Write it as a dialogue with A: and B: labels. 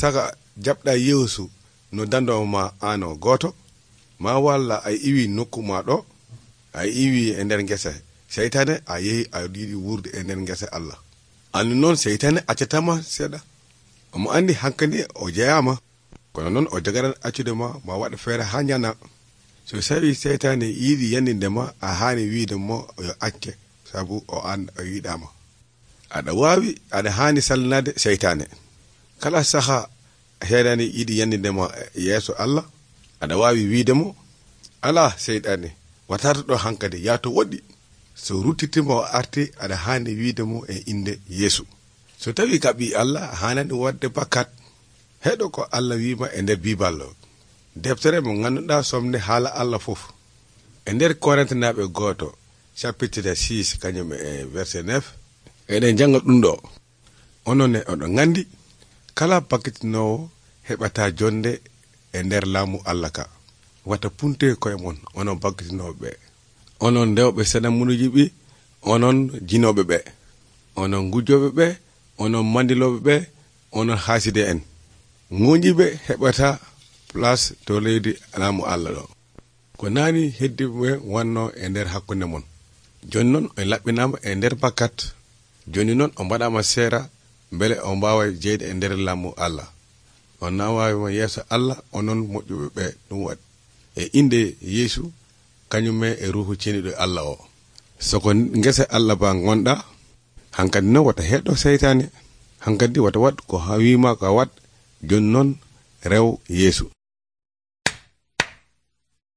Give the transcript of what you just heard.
A: saga jaɓɗa yeesu no dandowo ma ano goto ma walla a iwi nokku ma ɗo a iwi e nder ngesa seytane a yehi a yiɗi wurde e nder ngesa Allah annu noon seytane accatama seeɗa omo andi hankadi o jeyama kono noon o jogaran accude ma waɗa feere ha ñana so sawi seytane yiɗi yandinde ma a hani wiide mo yo acce sabu o an o yiɗama aɗa wawi aɗa hani sallinade seytane kala saha seytane yiɗi yandinde ma yeeso Allah aɗa wawi wiide mo ala seytane watata ɗo hankadi yato woɗɗi so ruttitima o arti aɗa hani wiide mo e inde Yeesu so tawi ka ɓi Allah hanani wadde bakkat heɗo ko Allah wima e nder biballo deftere mo ganduɗa somne haala Allah fof e nder Korintinaɓe goto chapitre 6 kañum e verset 9 eɗen janga ɗum ɗo onon ne oɗon gandi kala bakkitinowo heɓata jonde e nder laamu Allah ka wata punte koye mon onon bakkitinoɓe ɓe onon ndewɓe senamunuji ɓi onon jinoɓe ɓe onon gujjoɓe ɓe onon mandiloɓe ɓe onon haaside en ŋoƴiɓe heɓata place to leydi laamu Allah ɗo ko nani heddiɓe wanno e nder hakkunde mon joni noon on laɓɓinama e nder bakkat joni noon o mbaɗama seera beele o mbawa jeyde e nder laamu Allah on nawawima yeeso Allah onon moƴƴuɓe ɓe ɗum waɗi e inde Yeesu kañume e ruhu ceniɗo Allah o soko ngese Allah ba gonɗa hankadi noon wata heɗɗo seytane hankadi wata wat ko wima ka wat joni noon rew Yeesu